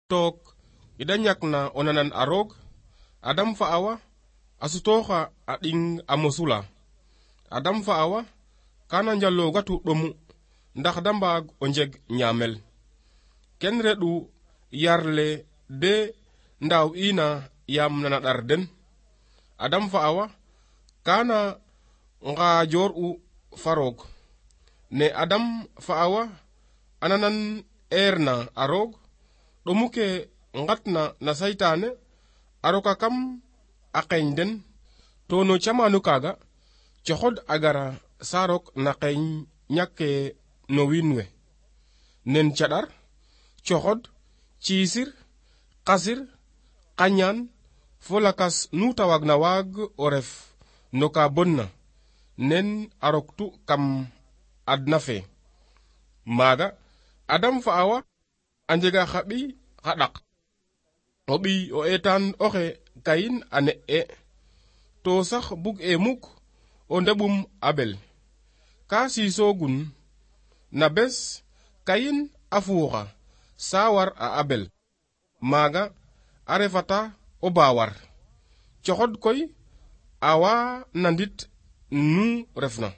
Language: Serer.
took ida ñakna o nanan a roog Adam fa Awa a sutooxa a ɗing a mosula. Adam fa Awa kana njalogatu ɗomu ndax da mbaag o njeg ñaamel. Ken reɗu yarle de ndaw ina yam nana ɗar den. Adam fa Awa kana ngajoor u fa roog. Ne Adam fa Awa ananan erna a roog ɗomu ke ngatna na saytaane a roka kam a qeeñ den to no camanu kaaga coxod a gara saarok na qeeñ ñakke no wiin we nen caɗar coxod ciisir qasir qañaan fo lakas nu ta waagna waag o ref no ka bonna nen a roktu kam adna fe. Maaga Adam fa Awa a njega xa ɓiy xa ɗak. O ɓiy o eetaan oxe Kayin a ne'e to sax bug e muk o ndeɓum Abel. Ka siisoogun na bes Kayin a fuuxa saa war a Abel. Maaga a refata o baawar. Coxod koy awa nandit nu refna.